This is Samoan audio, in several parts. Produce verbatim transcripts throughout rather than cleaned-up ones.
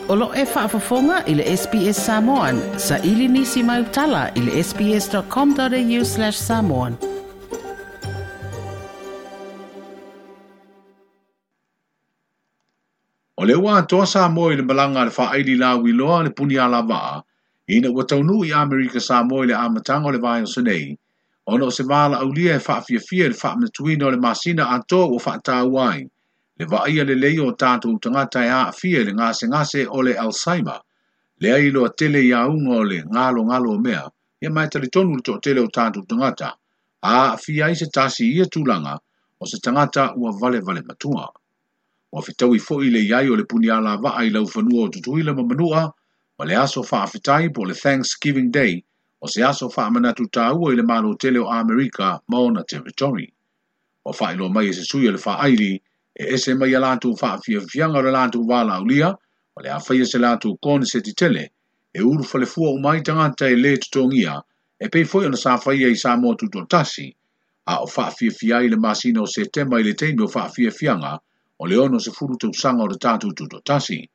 O lo e faafofoga i le S B S Samoan, sa ili nisi mai utala i le S B S dot com dot A U slash samoan. O le ua atoa Samoa i le malaga a le faaili lauiloa le puni alavaa, ina ua taunuu i Amerika Samoa i le amataga o le vaiaso nei, ona o se valaaulia e faafiafia i le faamanatuina o le masina atoa ua faataua ai le vaaia lelei o tatou tagata e aafia i le gasegase o le Alzheimer, lea iloa tele i auga o le galogalo o mea, ia ma e talitonu le toatele o tatou tagata, a aafia ai se tasi i ia tulaga, o se tagata ua valevale matua. Ua fetaui foi le iai o le puni alavaa i laufanua o Tutuila ma Manua, ma le aso faafetai po o le Thanksgiving Day, o se aso faamanatu taua i le Malo tele o Amerika ma ona territory. Ua faailoa mai e se sui o le faaili, e ese mai a latou faafiafiaga o le latou valaaulia, o le a faia se latou koneseti tele, e ulu falefua uma ai tagata e lē totogia, e pei foi ona sa faia i Samoa Tutoatasi, a o faafiafia ai le masina o Setema i le taimi o faafiafiaga o le ono sefulu tausaga o le tatou Tutoatasi.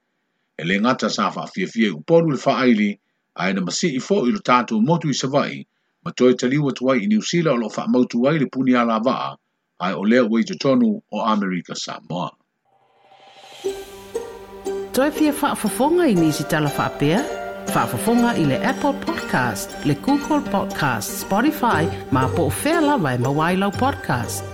E lē gata sa faafiafia i Upolu le faaili, ae na masii foi lo tatou motu i Savaii, ma toe taliu atu ai i Niu Sila o loo faamautu ai le puni alavaa, ae o lea ua i totonu o Amerika Samoa. Toe fia faafofoga i nisi tala faapea? Faafofoga i le Apple Podcast, le Google Podcast, Spotify, ma po o fea lava e maua ai lau podcast.